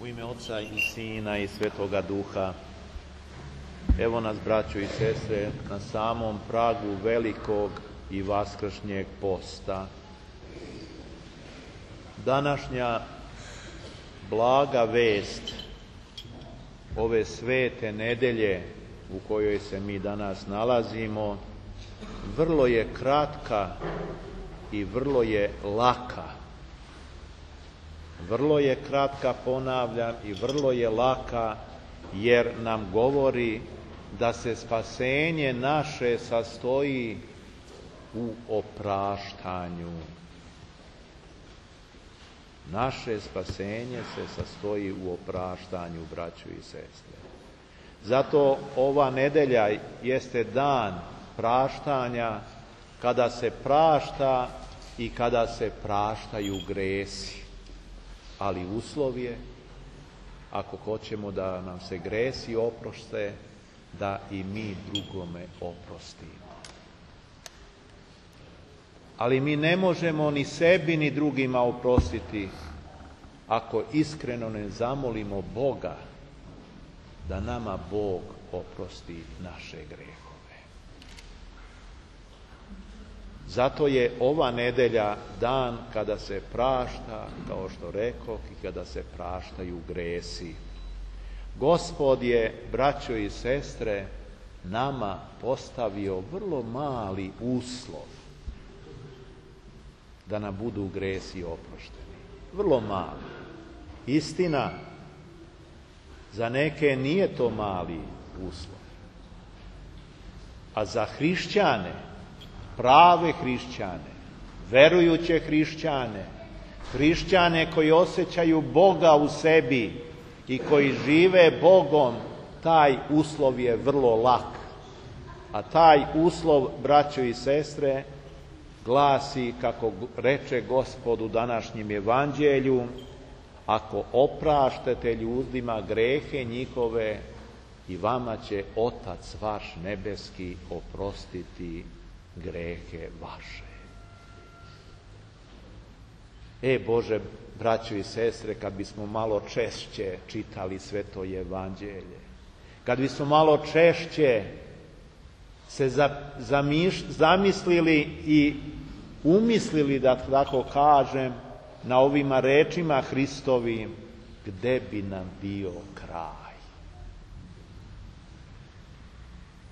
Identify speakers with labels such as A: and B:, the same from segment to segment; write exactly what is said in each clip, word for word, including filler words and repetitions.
A: U ime Oca i Sina i Svetoga Duha. Evo nas, braćo i sestre, na samom pragu velikog i vaskršnjeg posta. Današnja blaga vest ove svete nedelje u kojoj se mi danas nalazimo vrlo je kratka i vrlo je laka. Vrlo je kratka, ponavljam, i vrlo je laka, jer nam govori da se spasenje naše sastoji u opraštanju. Naše spasenje se sastoji u opraštanju, braćo i sestre. Zato ova nedelja jeste dan praštanja, kada se prašta i kada se praštaju gresi. Ali uslov je, ako hoćemo da nam se gresi oproste, da i mi drugome oprostimo. Ali mi ne možemo ni sebi ni drugima oprostiti ako iskreno ne zamolimo Boga da nama Bog oprosti naše grehove. Zato je ova nedelja dan kada se prašta, kao što rekoh, i kada se praštaju gresi. Gospod je, braćo i sestre, nama postavio vrlo mali uslov da nam budu gresi oprošteni. Vrlo mali. Istina, za neke nije to mali uslov. A za hrišćane, prave hrišćane, verujuće hrišćane, hrišćane koji osjećaju Boga u sebi i koji žive Bogom, taj uslov je vrlo lak. A taj uslov, braćo i sestre, glasi, kako reče Gospod u današnjem evanđelju: ako opraštate ljudima grehe njihove, i vama će Otac vaš nebeski oprostiti grehe vaše. E Bože, braćo i sestre, kad bismo malo češće čitali Sveto evanđelje, kad bismo malo češće se zamiš, zamislili i umislili, da tako kažem, na ovima rečima Hristovim, gde bi nam bio kraj?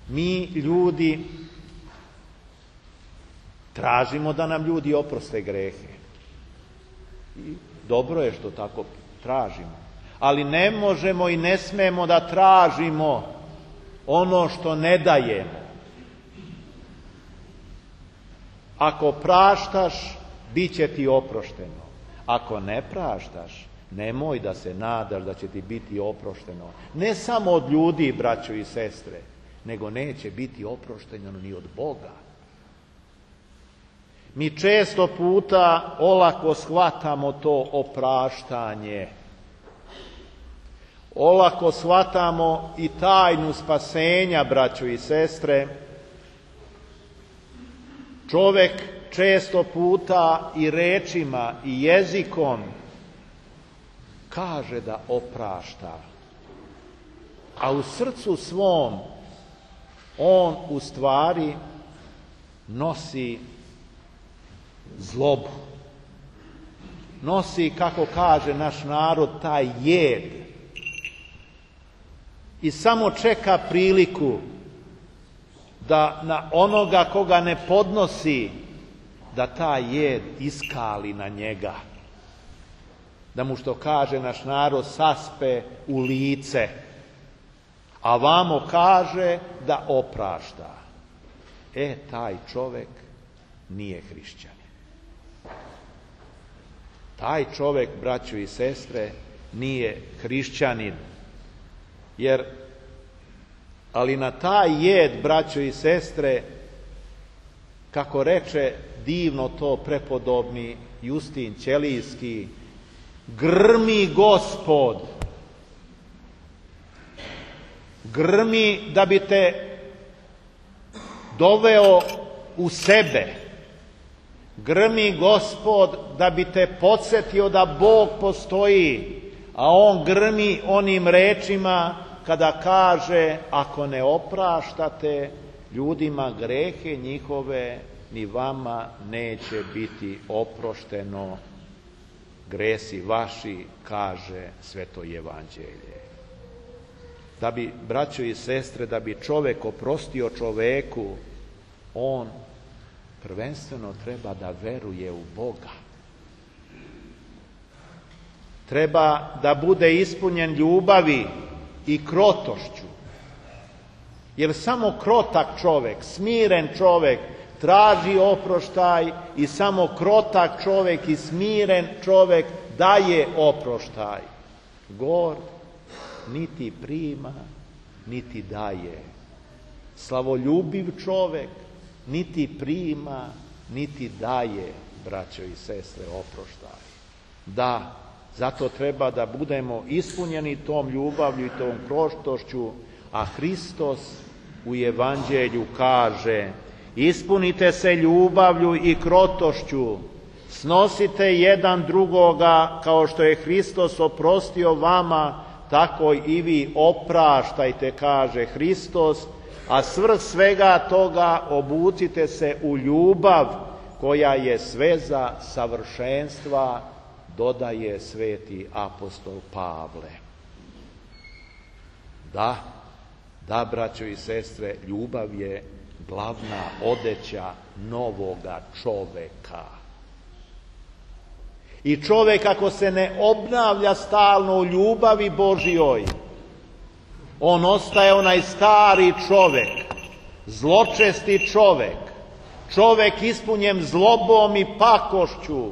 A: Mi ljudi tražimo da nam ljudi oproste grehe. I dobro je što tako tražimo. Ali ne možemo i ne smemo da tražimo ono što ne dajemo. Ako praštaš, bit će ti oprošteno. Ako ne praštaš, nemoj da se nadaš da će ti biti oprošteno. Ne samo od ljudi, braćo i sestre, nego neće biti oprošteno ni od Boga. Mi često puta olako shvatamo to opraštanje. Olako shvatamo i tajnu spasenja, braćo i sestre. Čovek često puta i rečima i jezikom kaže da oprašta, a u srcu svom on u stvari nosi zlobu. Nosi, kako kaže naš narod, taj jed. I samo čeka priliku da na onoga koga ne podnosi, da taj jed iskali na njega. Da mu, što kaže naš narod, saspe u lice. A vamo kaže da oprašta. E, taj čovek nije hrišćanin. Taj čovek, braćo i sestre, nije hrišćanin. Jer, ali na taj jed, braćo i sestre, kako reče divno to prepodobni Justin Ćelijski, grmi Gospod. Grmi da bi te doveo u sebe. Grmi Gospod da bi te podsjetio da Bog postoji, a on grmi onim rečima kada kaže: ako ne opraštate ljudima grehe njihove, ni vama neće biti oprošteno gresi vaši, kaže Sveto Evanđelje. Da bi, braćo i sestre, da bi čovek oprostio čoveku, on prvenstveno treba da veruje u Boga. Treba da bude ispunjen ljubavi i krotošću. Jer samo krotak čovek, smiren čovek, traži oproštaj i samo krotak čovek i smiren čovek daje oproštaj. Gord niti prima, niti daje. Slavoljubiv čovek niti prima, niti daje, braćo i sestre, oproštaj. Da, zato treba da budemo ispunjeni tom ljubavlju i tom krotošću, a Hristos u Evanđelju kaže: ispunite se ljubavlju i krotošću, snosite jedan drugoga, kao što je Hristos oprostio vama, tako i vi opraštajte, kaže Hristos, a svrh svega toga obucite se u ljubav koja je sveza savršenstva, dodaje sveti apostol Pavle. Da, da, braćo i sestre, ljubav je glavna odeća novoga čoveka. I čovek ako se ne obnavlja stalno u ljubavi Božjoj, on ostaje onaj stari čovek, zločesti čovek, čovek ispunjen zlobom i pakošću,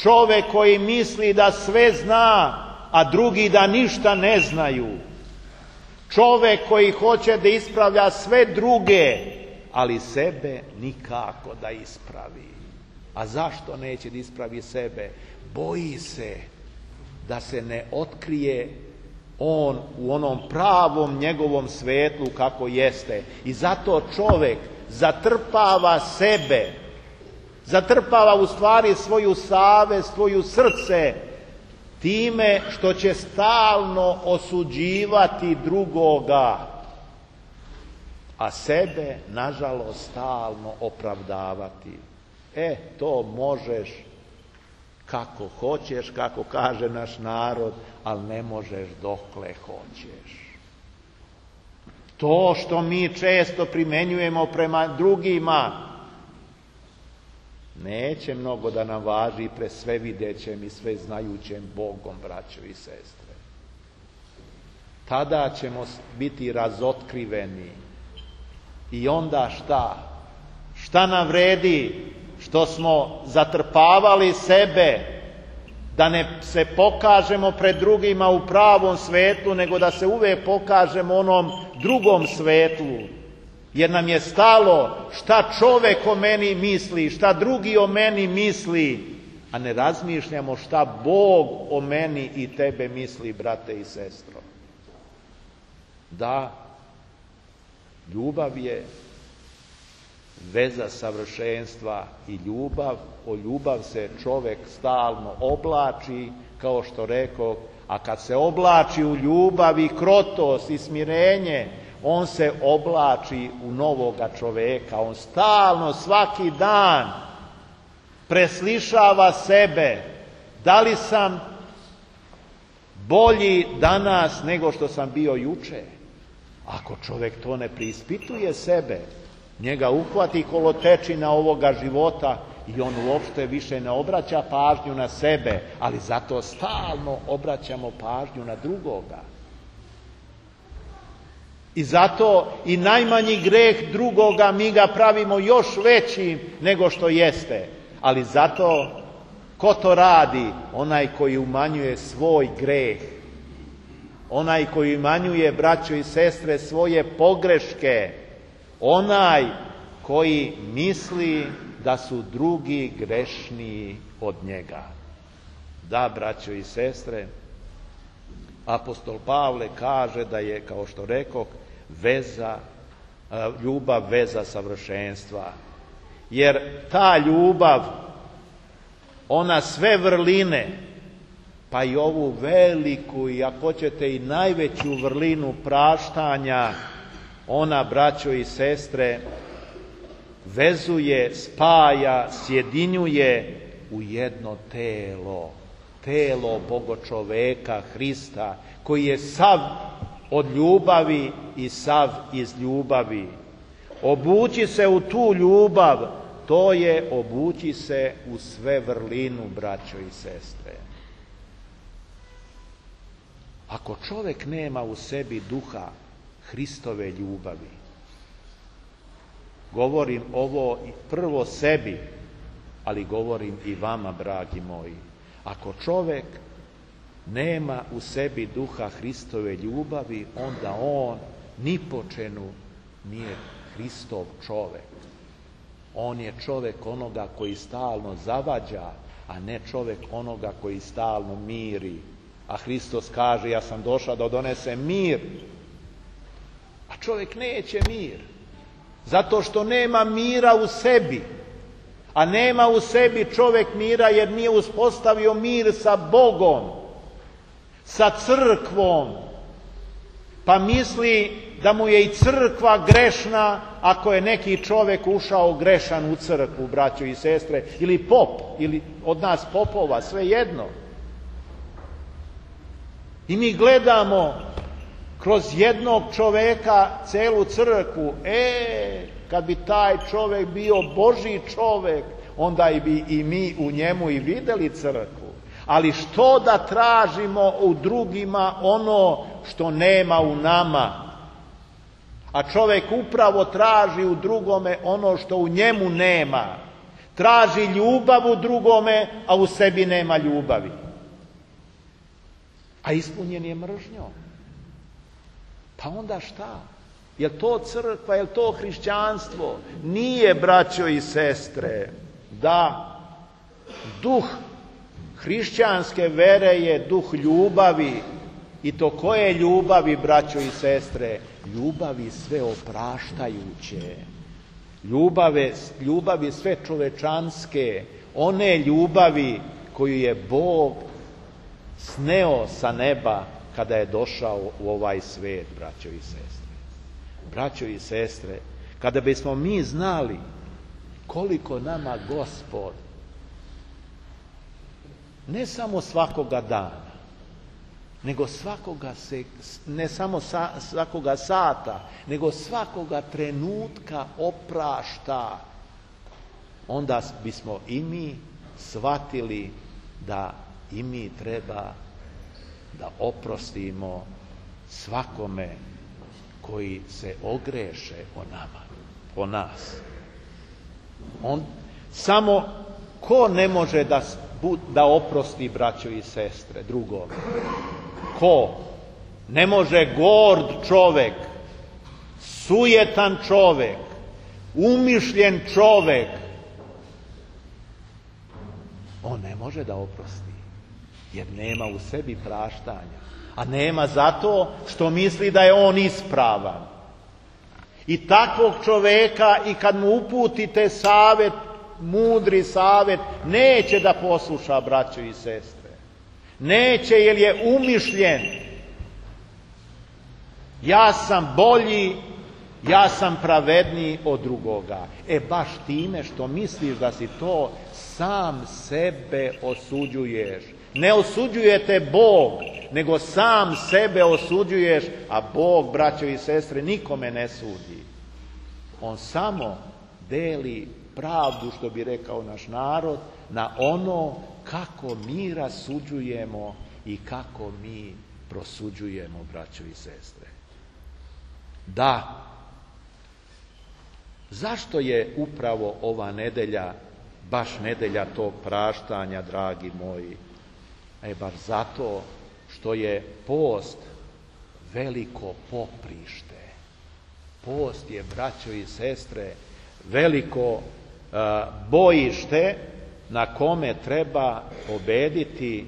A: čovek koji misli da sve zna, a drugi da ništa ne znaju, čovek koji hoće da ispravlja sve druge, ali sebe nikako da ispravi. A zašto neće da ispravi sebe? Boji se da se ne otkrije on u onom pravom njegovom svetlu kako jeste. I zato čovek zatrpava sebe, zatrpava u stvari svoju savest, svoju srce, time što će stalno osuđivati drugoga, a sebe, nažalost, stalno opravdavati. E, to možeš kako hoćeš, kako kaže naš narod, ali ne možeš dokle hoćeš. To što mi često primenjujemo prema drugima, neće mnogo da nam važi pre svevidećem i sveznajućem Bogom, braćo i sestre. Tada ćemo biti razotkriveni. I onda šta? Šta nam vredi što smo zatrpavali sebe, da ne se pokažemo pred drugima u pravom svetlu, nego da se uvek pokažemo onom drugom svetlu. Jer nam je stalo šta čovek o meni misli, šta drugi o meni misli, a ne razmišljamo šta Bog o meni i tebe misli, brate i sestro. Da, ljubav je veza savršenstva i ljubav, o ljubav se čovek stalno oblači, kao što rekao, a kad se oblači u ljubav i krotost i smirenje, on se oblači u novoga čoveka. On stalno, svaki dan preslišava sebe. Da li sam bolji danas nego što sam bio juče? Ako čovek to ne preispituje sebe, njega uhvati kolotečina ovoga života i on uopšte više ne obraća pažnju na sebe, ali zato stalno obraćamo pažnju na drugoga. I zato i najmanji greh drugoga mi ga pravimo još većim nego što jeste. Ali zato ko to radi? Onaj koji umanjuje svoj greh. Onaj koji umanjuje, braćo i sestre, svoje pogreške. Onaj koji misli da su drugi grešniji od njega. Da, braćo i sestre, apostol Pavle kaže da je, kao što rekoh, veza, ljubav veza savršenstva. Jer ta ljubav, ona sve vrline pa i ovu veliku i ako hoćete i najveću vrlinu praštanja, ona, braćo i sestre, vezuje, spaja, sjedinjuje u jedno telo, telo Bogočoveka Hrista, koji je sav od ljubavi i sav iz ljubavi. Obući se u tu ljubav, to je obući se u sve vrlinu, braćo i sestre. Ako čovjek nema u sebi duha Hristove ljubavi, govorim ovo prvo sebi, ali govorim i vama, dragi moji, ako čovjek nema u sebi duha Hristove ljubavi, onda on ni po čemu nije Hristov čovjek. On je čovjek onoga koji stalno zavađa, a ne čovjek onoga koji stalno miri. A Hristos kaže, ja sam došao da donesem mir. A čovjek neće mir. Zato što nema mira u sebi. A nema u sebi čovjek mira jer nije uspostavio mir sa Bogom, sa crkvom. Pa misli da mu je i crkva grešna ako je neki čovjek ušao grešan u crkvu, braćo i sestre, ili pop, ili od nas popova, sve jedno. I mi gledamo kroz jednog čovjeka celu crkvu. E, kad bi taj čovjek bio Božji čovjek, onda bi i mi u njemu i vidjeli crkvu. Ali što da tražimo u drugima ono što nema u nama? A čovjek upravo traži u drugome ono što u njemu nema. Traži ljubav u drugome, a u sebi nema ljubavi. A ispunjen je mržnjom. Pa onda šta? Je li to crkva, je li to hrišćanstvo? Nije, braćo i sestre. Da, duh hrišćanske vere je duh ljubavi. I to koje ljubavi, braćo i sestre? Ljubavi sve opraštajuće. Ljubave, ljubavi sve čovečanske. One ljubavi koju je Bog sneo sa neba kada je došao u ovaj svijet, braćo i sestre. Braćo i sestre, kada bismo mi znali koliko nama Gospod ne samo svakoga dana, nego svakoga se, ne samo sa, svakoga sata, nego svakoga trenutka oprašta, onda bismo i mi shvatili da i mi treba da oprostimo svakome koji se ogreše o nama, o nas. On, samo ko ne može da, da oprosti, braćo i sestre, drugome? Ko? Ne može gord čovjek, sujetan čovjek, umišljen čovjek. On ne može da oprosti, jer nema u sebi praštanja. A nema zato što misli da je on ispravan. I takvog čovjeka, i kad mu uputite savjet, mudri savjet, neće da posluša, braćo i sestre. Neće, jer je umišljen. Ja sam bolji, ja sam pravedniji od drugoga. E baš time što misliš da si to, sam sebe osuđuješ. Ne osuđujete Bog, nego sam sebe osuđuješ, a Bog, braćo i sestre, nikome ne sudi. On samo deli pravdu, što bi rekao naš narod, na ono kako mi rasuđujemo i kako mi prosuđujemo, braćo i sestre. Da, zašto je upravo ova nedelja, baš nedelja tog praštanja, dragi moji? E, baš zato što je post veliko poprište. Post je, braćo i sestre, veliko uh, bojište na kome treba pobediti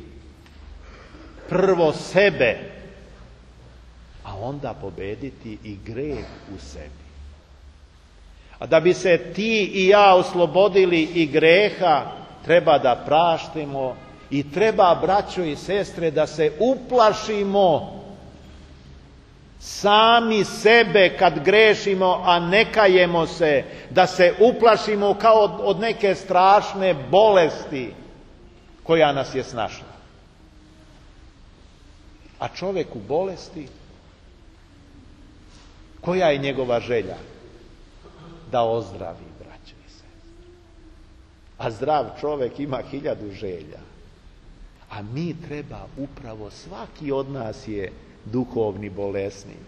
A: prvo sebe, a onda pobediti i greh u sebi. A da bi se ti i ja oslobodili i greha, treba da praštimo I treba, braćo i sestre, da se uplašimo sami sebe kad grešimo, a ne kajemo se, da se uplašimo kao od, od neke strašne bolesti koja nas je snašla. A čovjek u bolesti, koja je njegova želja? Da ozdravi, braćo i sestre. A zdrav čovjek ima hiljadu želja. A mi treba upravo, svaki od nas je duhovni bolesnik.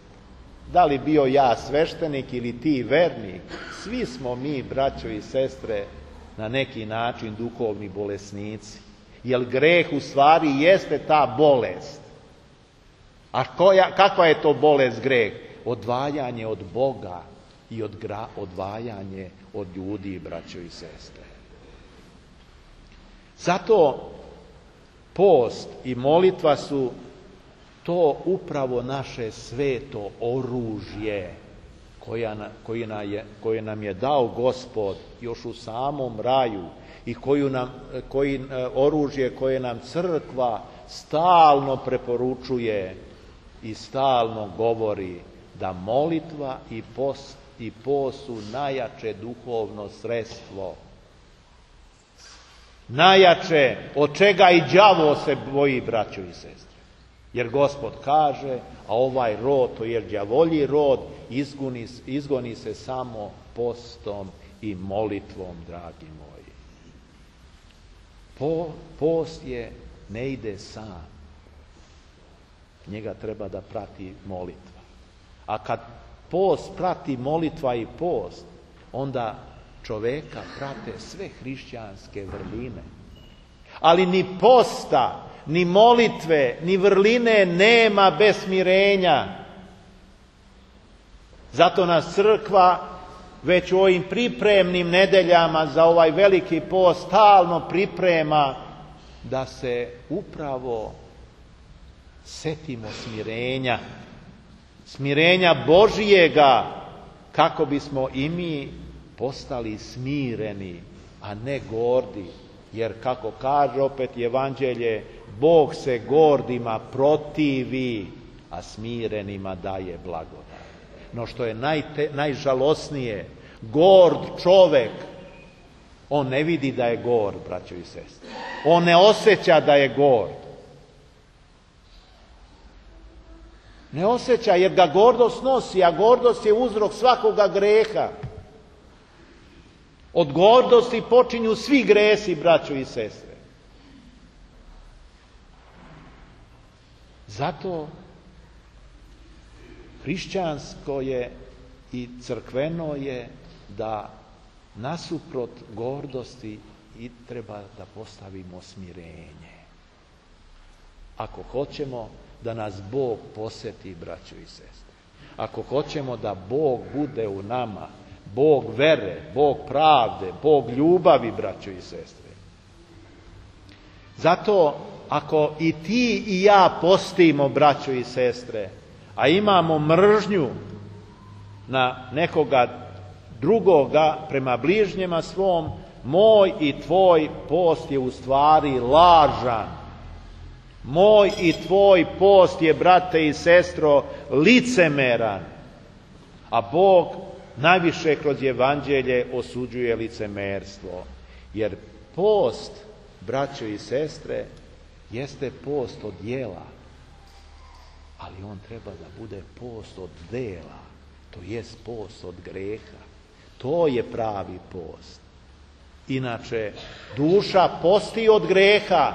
A: Da li bio ja sveštenik ili ti vernik, svi smo mi, braćo i sestre, na neki način duhovni bolesnici. Jer greh u stvari jeste ta bolest. A koja, kakva je to bolest greh? Odvajanje od Boga i od gra, odvajanje od ljudi, braćo i sestre. Zato post i molitva su to upravo naše sveto oružje koja, koje, nam je, koje nam je dao Gospod još u samom raju i koju nam, koji, oružje koje nam crkva stalno preporučuje i stalno govori da molitva i post, i post su najjače duhovno sredstvo. Najjače, od čega i đavo se boji, braćo i sestre. Jer Gospod kaže, a ovaj rod, to je đavolji rod, izgoni, izgoni se samo postom i molitvom, dragi moji. Po, post je, ne ide sam. Njega treba da prati molitva. A kad post prati molitva i post, onda čoveka prate sve hrišćanske vrline. Ali ni posta, ni molitve, ni vrline nema bez smirenja. Zato nas crkva već u ovim pripremnim nedeljama za ovaj veliki post stalno priprema da se upravo setimo smirenja, smirenja Božijega, kako bismo i mi postali smireni, a ne gordi. Jer kako kaže opet Evanđelje, Bog se gordima protivi, a smirenima daje blagodat. No što je najte, najžalosnije, gord čovek, on ne vidi da je gord, braćo i sestre. On ne osjeća da je gord. Ne osjeća, jer ga gordost nosi, a gordost je uzrok svakoga greha. Od gordosti počinju svi gresi, braćo i sestre. Zato hrišćansko je i crkveno je da nasuprot gordosti i treba da postavimo smirenje. Ako hoćemo da nas Bog posjeti, braćo i sestre, ako hoćemo da Bog bude u nama, Bog vere, Bog pravde, Bog ljubavi, braćo i sestre. Zato ako i ti i ja postimo, braćo i sestre, a imamo mržnju na nekoga drugoga prema bližnjema svom, moj i tvoj post je u stvari lažan. Moj i tvoj post je, brate i sestro, licemeran. A Bog najviše kroz Evanđelje osuđuje licemerstvo. Jer post, braćo i sestre, jeste post od djela. Ali on treba da bude post od dela. To jest post od greha. To je pravi post. Inače, duša posti od greha,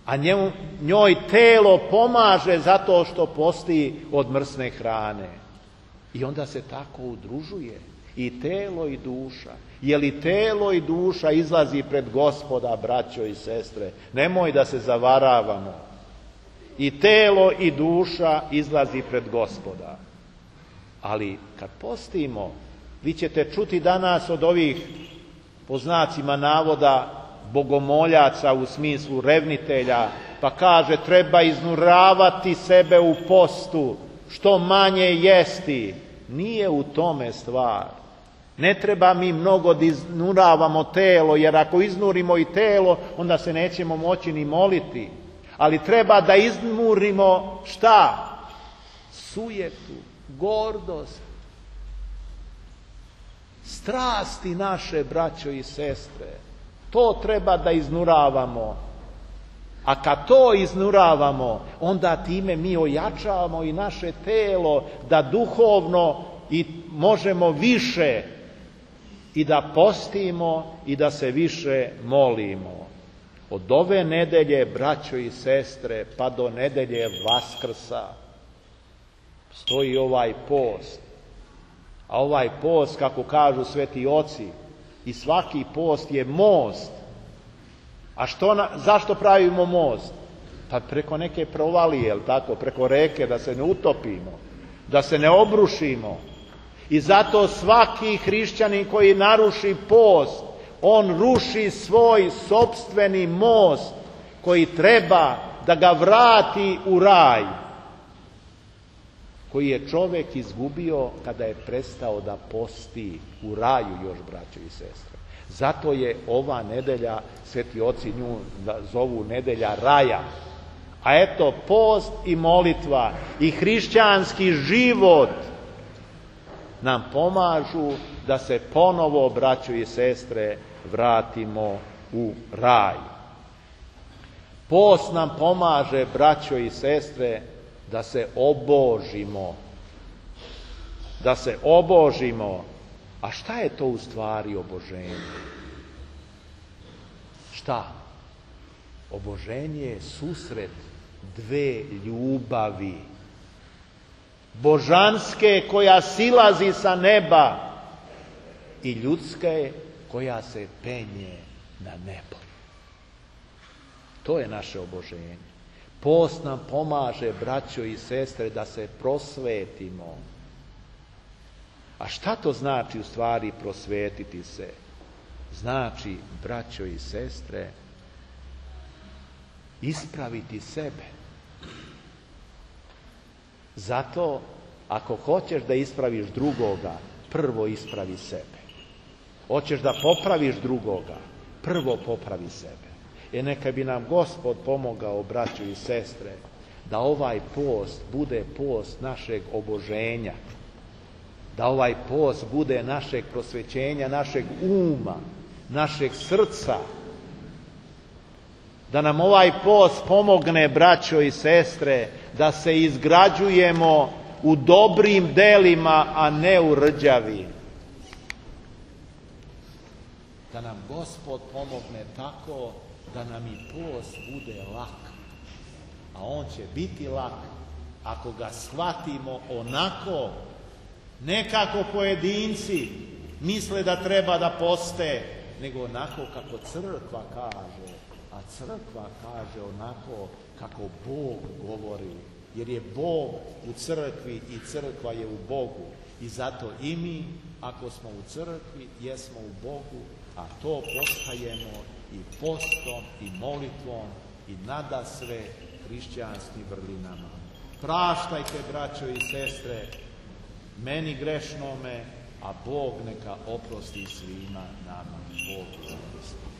A: a njemu, njoj telo pomaže zato što posti od mrsne hrane. I onda se tako udružuje i telo i duša. Je li telo i duša izlazi pred Gospoda, braćo i sestre? Nemoj da se zavaravamo. I telo i duša izlazi pred Gospoda. Ali kad postimo, vi ćete čuti danas od ovih, po znacima navoda, bogomoljaca u smislu revnitelja, pa kaže treba iznuravati sebe u postu, što manje jesti. Nije u tome stvar. Ne treba mi mnogo da iznuravamo telo, jer ako iznurimo i telo, onda se nećemo moći ni moliti. Ali treba da iznurimo šta? Sujetu, gordost, strasti naše, braćo i sestre. To treba da iznuravamo. A kad to iznuravamo, onda time mi ojačavamo i naše telo da duhovno i možemo više i da postimo i da se više molimo. Od ove nedelje, braćo i sestre, pa do nedelje Vaskrsa stoji ovaj post. A ovaj post, kako kažu sveti oci, i svaki post je most. A što na, zašto pravimo most? Pa preko neke provalije, jel tako, preko reke, da se ne utopimo, da se ne obrušimo. I zato svaki hrišćanin koji naruši post, on ruši svoj sopstveni most koji treba da ga vrati u raj, koji je čovjek izgubio kada je prestao da posti u raju, još braćo i sestre. Zato je ova nedelja, sveti oci nju zovu nedelja raja. A eto, post i molitva i hrišćanski život nam pomažu da se ponovo, braćo i sestre, vratimo u raj. Post nam pomaže, braćo i sestre, da se obožimo. Da se obožimo. A šta je to u stvari oboženje? Šta? Oboženje je susret dve ljubavi. Božanske koja silazi sa neba i ljudske koja se penje na nebo. To je naše oboženje. Post nam pomaže, braćo i sestre, da se prosvetimo. A šta to znači u stvari prosvetiti se? Znači, braćo i sestre, ispraviti sebe. Zato, ako hoćeš da ispraviš drugoga, prvo ispravi sebe. Hoćeš da popraviš drugoga, prvo popravi sebe. E neka bi nam Gospod pomogao, braćo i sestre, da ovaj post bude post našeg oboženja, da ovaj post bude našeg prosvećenja, našeg uma, našeg srca, da nam ovaj post pomogne, braćo i sestre, da se izgrađujemo u dobrim delima, a ne u rđavi. Da nam Gospod pomogne tako da nam i post bude lak. A on će biti lak ako ga shvatimo onako, ne kako pojedinci misle da treba da poste, nego onako kako crkva kaže. A crkva kaže onako kako Bog govori. Jer je Bog u crkvi i crkva je u Bogu. I zato i mi, ako smo u crkvi, jesmo u Bogu, a to postajemo i postom i molitvom i nadasve hrišćanskim vrlinama. Praštajte, braćo i sestre, meni grešnome, a Bog neka oprosti svima nama. Bog oprosti.